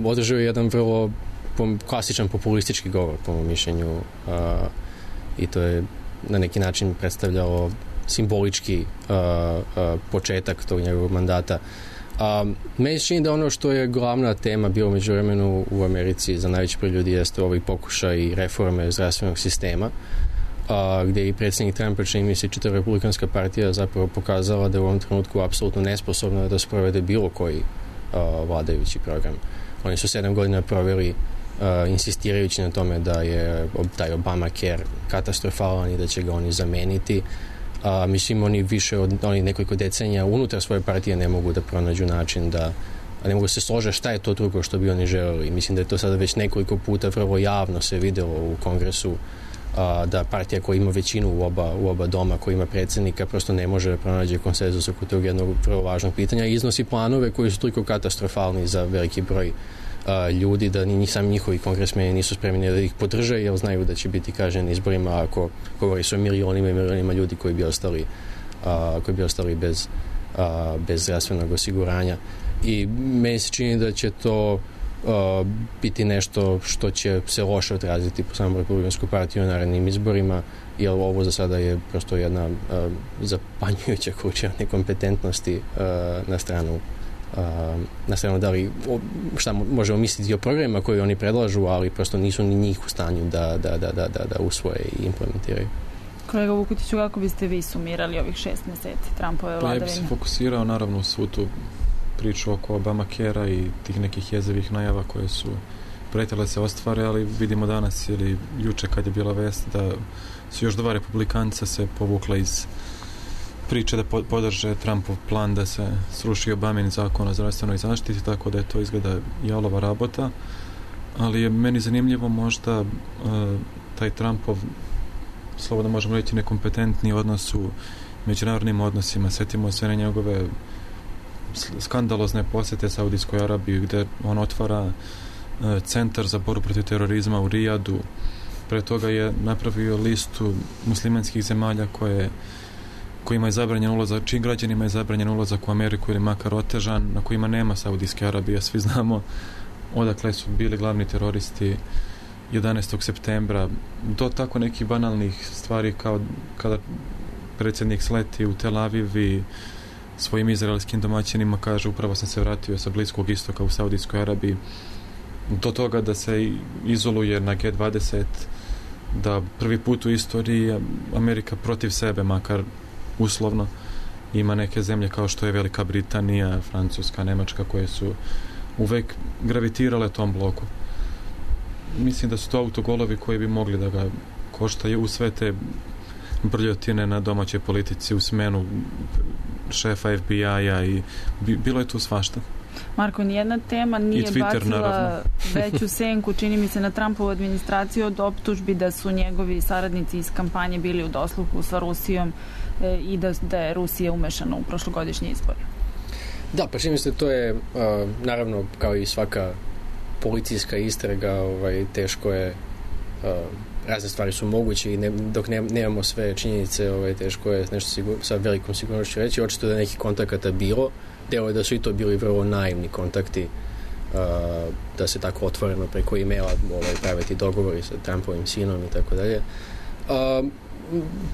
Održao je jedan vrlo klasičan populistički govor, po mom mišljenju, i to je na neki način predstavljalo simbolički početak tog njegovog mandata. Meni se čini da ono što je glavna tema bilo međuvremenu u Americi za najveći broj ljudi jeste ovaj pokušaj reforme zdravstvenog sistema, gdje i predsjednik Trumpa, čini mi se, čitava republikanska partija zapravo pokazala da je u ovom trenutku apsolutno nesposobna da sprovede bilo koji vladajući program. Oni su 7 godina proveli insistirajući na tome da je taj Obamacare katastrofalan i da će ga oni zameniti. Mislim, oni više od nekoliko decenija unutar svoje partije ne mogu da pronađu način da ne mogu se složiti šta je to drugo što bi oni želeli. Mislim da je to sada već nekoliko puta vrlo javno se videlo u Kongresu, da partija koja ima većinu u oba doma, koja ima predsjednika, prosto ne može da pronađe konsenzus oko tog jednog vrlo važnog pitanja i iznosi planove koji su toliko katastrofalni za veliki broj ljudi da ni sami njihovi kongresmeni nisu spremni da ih podrže, jer znaju da će biti kažnjeni izborima ako govori se o milionima i milionima ljudi koji bi ostali bez zdravstvenog osiguranja. I meni se čini da će to biti nešto što će se loše odraziti po samom Republikansku partiju na narednim izborima, jer ovo za sada je prosto jedna zapanjujuća količina nekompetentnosti na stranu da li šta možemo misliti o programima koji oni predlažu, ali prosto nisu ni njih u stanju da usvoje i implementiraju. Kolega Vukutiću, kako biste vi sumirali ovih 6 meseci Trumpove vladavine? Ja bih se fokusirao naravno u svu tu priču oko Obamacare-a i tih nekih jezivih najava koje su pretile se ostvare, ali vidimo danas ili juče kad je bila vest da su još 2 republikanca se povukla iz priče da podrže Trumpov plan da se sruši Obamin zakon o zdravstvenoj zaštiti, tako da je to izgleda jalova rabota, ali je meni zanimljivo možda taj Trumpov, slobodno možemo reći, nekompetentni odnos u međunarodnim odnosima. Sjetimo se na njegove skandalozne posjete Saudijskoj Arabiji gdje on otvara centar za borbu protiv terorizma u Rijadu. Pre toga je napravio listu muslimanskih zemalja kojima je zabranjen ulazak, čijim građanima je zabranjen ulazak u Ameriku ili makar otežan, na kojima nema Saudijske Arabije. Svi znamo odakle su bili glavni teroristi 11. septembra. Do tako nekih banalnih stvari kao kada predsjednik sleti u Tel Aviv i svojim izraelskim domaćinima kaže upravo sam se vratio sa Bliskog istoka u Saudijskoj Arabiji, do toga da se izoluje na G20, da prvi put u istoriji Amerika protiv sebe, makar uslovno, ima neke zemlje kao što je Velika Britanija, Francuska, Nemačka, koje su uvek gravitirale tom bloku. Mislim da su to autogolovi koji bi mogli da ga koštaju u sve te brljotine na domaćoj politici, u smenu šefa FBI-a i bilo je tu svašta. Marko, nijedna tema nije bacila veću senku, čini mi se, na Trumpovu administraciju od optužbi da su njegovi saradnici iz kampanje bili u dosluhu sa Rusijom i da je Rusija umešana u prošlogodišnje izbore. Da, pa čini mi se, to je naravno kao i svaka policijska istraga, teško je, razne stvari su moguće i dok nemamo sve činjenice, teško je nešto sa velikom sigurnošću reći. Očito da nekih kontakata bilo, delo je da su i to bili vrlo naivni kontakti, da se tako otvoreno preko e-maila praviti dogovori sa Trumpovim sinom i tako dalje.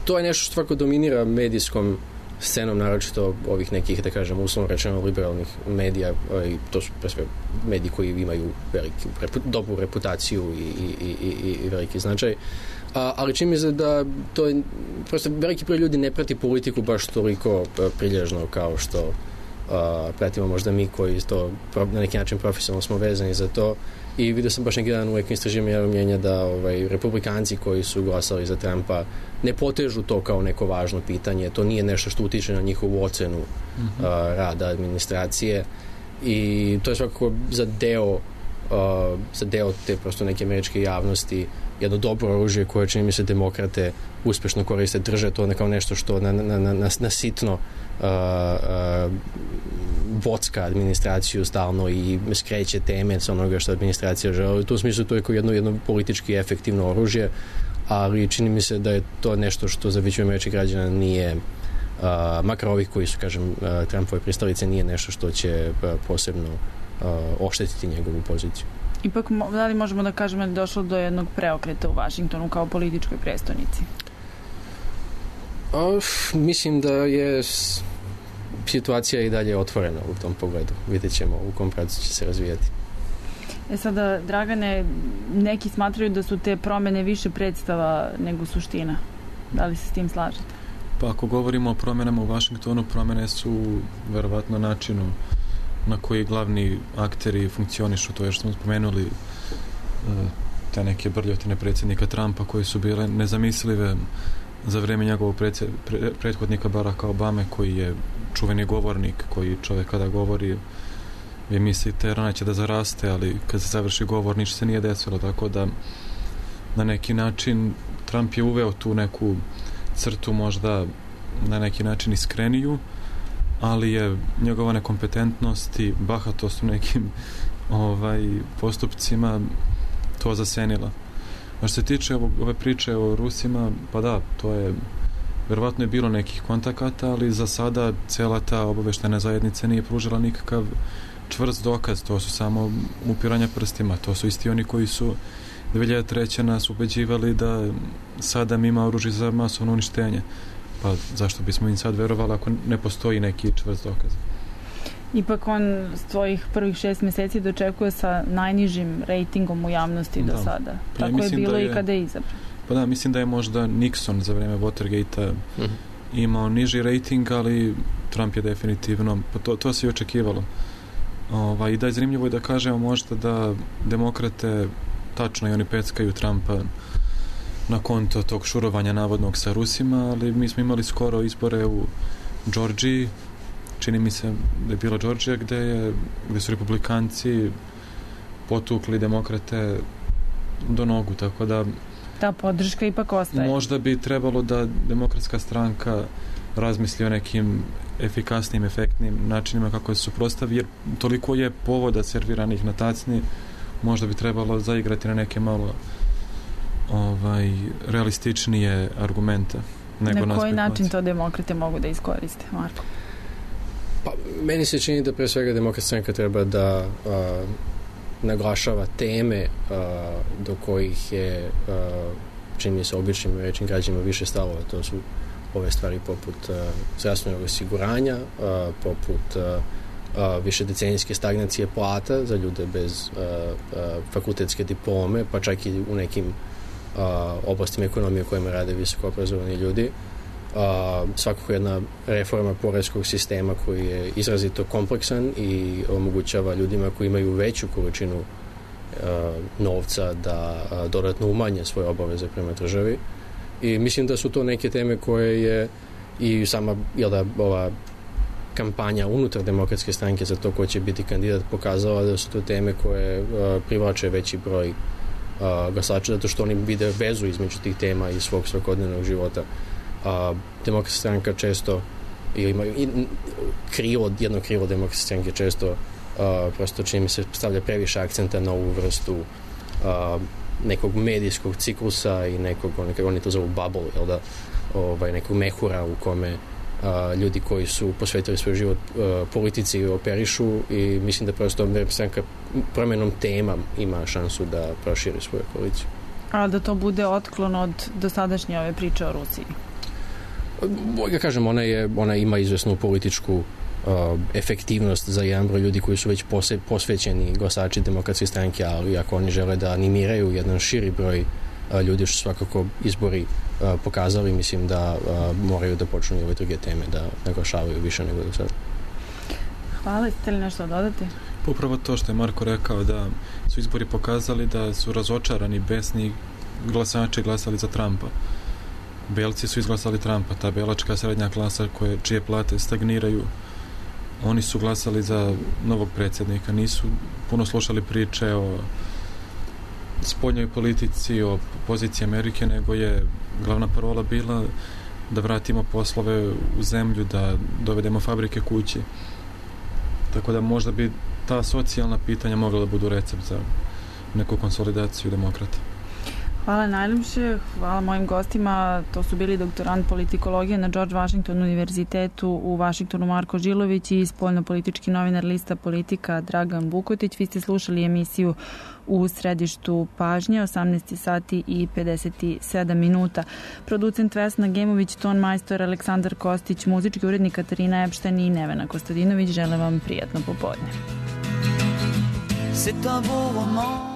To je nešto što svako dominira medijskom scenom, naročito ovih nekih, da kažem, uslovno rečeno liberalnih medija, i to su pre sve mediji koji imaju dobru reputaciju i veliki značaj. Ali čini mi se da to je, prosto veliki broj ljudi ne prati politiku baš toliko prilježno kao što pratimo možda mi koji to na neki način profesionalno smo vezani za to. I vidio sam baš neki dan u nekim istraživanjima mnjenja da republikanci koji su glasali za Trumpa ne potežu to kao neko važno pitanje. To nije nešto što utiče na njihovu ocenu rada administracije, i to je svakako za deo za deo te prosto neke američke javnosti jedno dobro oružje koje čini mi se demokrate uspešno koriste, drže to kao nešto što na sitno bocka administraciju stalno i skreće teme sa onoga što administracija želi. U tom smislu to je kao jedno politički efektivno oružje, ali čini mi se da je to nešto što za većinu američkih građana nije, makar ovih koji su, kažem, Trumpove pristalice, nije nešto što će posebno oštetiti njegovu poziciju. Ipak, da li možemo da kažemo da je došlo do jednog preokreta u Vašingtonu kao političkoj prestonici? Mislim da je situacija i dalje otvorena u tom pogledu. Vidjet ćemo u kom pravcu će se razvijati. Sada, Dragane, neki smatraju da su te promene više predstava nego suština. Da li se s tim slažete? Pa ako govorimo o promenama u Vašingtonu, promene su verovatno načinu na koji glavni akteri funkcionišu. To je što smo spomenuli te neke brljotine predsjednika Trumpa koje su bile nezamislive za vreme njegovog prethodnika Baracka Obame, koji je čuveni govornik, koji čovjek kada govori vi mislite rana će da zaraste, ali kad se završi govor ništa se nije desilo, tako da na neki način Trump je uveo tu neku crtu možda na neki način iskreniju, ali je njegova nekompetentnost i bahatost u nekim postupcima to zasenila. A što se tiče ove priče o Rusima, pa da, to je verovatno je bilo nekih kontakata, ali za sada cela ta obaveštajna zajednica nije pružila nikakav čvrst dokaz, to su samo upiranja prstima, to su isti oni koji su 2003. nas ubeđivali da Sadam ima oružje za masovno uništenje. Pa zašto bismo im sad verovali ako ne postoji neki čvrst dokaz? Ipak on svojih prvih 6 meseci dočekuje sa najnižim rejtingom u javnosti do sada. Pa tako je bilo i kada je izabran. Pa da, mislim da je možda Nixon za vreme Watergate-a imao niži rejting, ali Trump je definitivno, pa to se i očekivalo. I da je zanimljivo je da kažemo možda da demokrate tačno i oni peckaju Trumpa na konto tog šurovanja navodnog sa Rusima, ali mi smo imali skoro izbore u Georgiji, čini mi se da je bila Georgija gde su republikanci potukli demokrate do nogu, tako da ta podrška ipak ostaje. Možda bi trebalo da demokratska stranka razmisli o nekim efikasnim, efektnim načinima kako se suprotstavi, jer toliko je povoda serviranih na tacni, možda bi trebalo zaigrati na neke malo realističnije argumente. Na koji način to demokrate mogu da iskoriste, Marko? Pa, meni se čini da pre svega demokratska stranka treba da naglašava teme do kojih je čini mi se običnim rečnim građanima više stalo. To su ove stvari poput zdravstvenog osiguranja, poput višedecenijske stagnacije plata za ljude bez fakultetske diplome, pa čak i u nekim oblastima ekonomije u kojima rade visoko obrazovani ljudi. Svakako jedna reforma poreskog sistema koji je izrazito kompleksan i omogućava ljudima koji imaju veću količinu novca da dodatno umanje svoje obaveze prema državi. I mislim da su to neke teme koje je i sama ova kampanja unutar demokratske stranke za to ko će biti kandidat pokazala da su to teme koje privlače veći broj glasača, zato što oni vide vezu između tih tema i svog svakodnevnog života. Demokratska stranka često ima jedno krilo demokratske stranke često prosto čini mi se stavlja previše akcenta na ovu vrstu nekog medijskog ciklusa i nekog, oni to zovu bubble, jel da, nekog mehura u kome ljudi koji su posvetili svoj život politici operišu i mislim da prosto stranka promjenom tema ima šansu da proširi svoju koaliciju. A da to bude otklon od dosadašnje ove priče o Rusiji? Ja kažem, ona ima izvesnu političku efektivnost za jedan broj ljudi koji su već posvećeni glasači demokratske stranke, ali ako oni žele da animiraju jedan širi broj ljudi, što svakako izbori pokazali, mislim da moraju da počnu i ove druge teme da naglašavaju više nego do sada. Hvala, ste li nešto dodati? Upravo to što je Marko rekao, da su izbori pokazali da su razočarani, besni glasači glasali za Trumpa. Belci su izglasali Trumpa, ta belačka srednja klasa čije plate stagniraju oni su glasali za novog predsjednika, nisu puno slušali priče o spoljnoj politici, o poziciji Amerike, nego je glavna parola bila da vratimo poslove u zemlju, da dovedemo fabrike kući. Tako da možda bi ta socijalna pitanja mogla da budu recept za neku konsolidaciju demokrata. Hvala najljepše, hvala mojim gostima. To su bili doktorant politikologije na George Washington univerzitetu u Vašingtonu Marko Žilović i spoljnopolitički novinar lista Politika Dragan Vukotić. Vi ste slušali emisiju U središtu pažnje, 18 sati i 57 minuta. Producent Vesna Gemović, ton majstor Aleksandar Kostić, muzički urednik Katarina Epštajn i Nevena Kostadinović. Želim vam prijatno popodne. C'est un beau roman.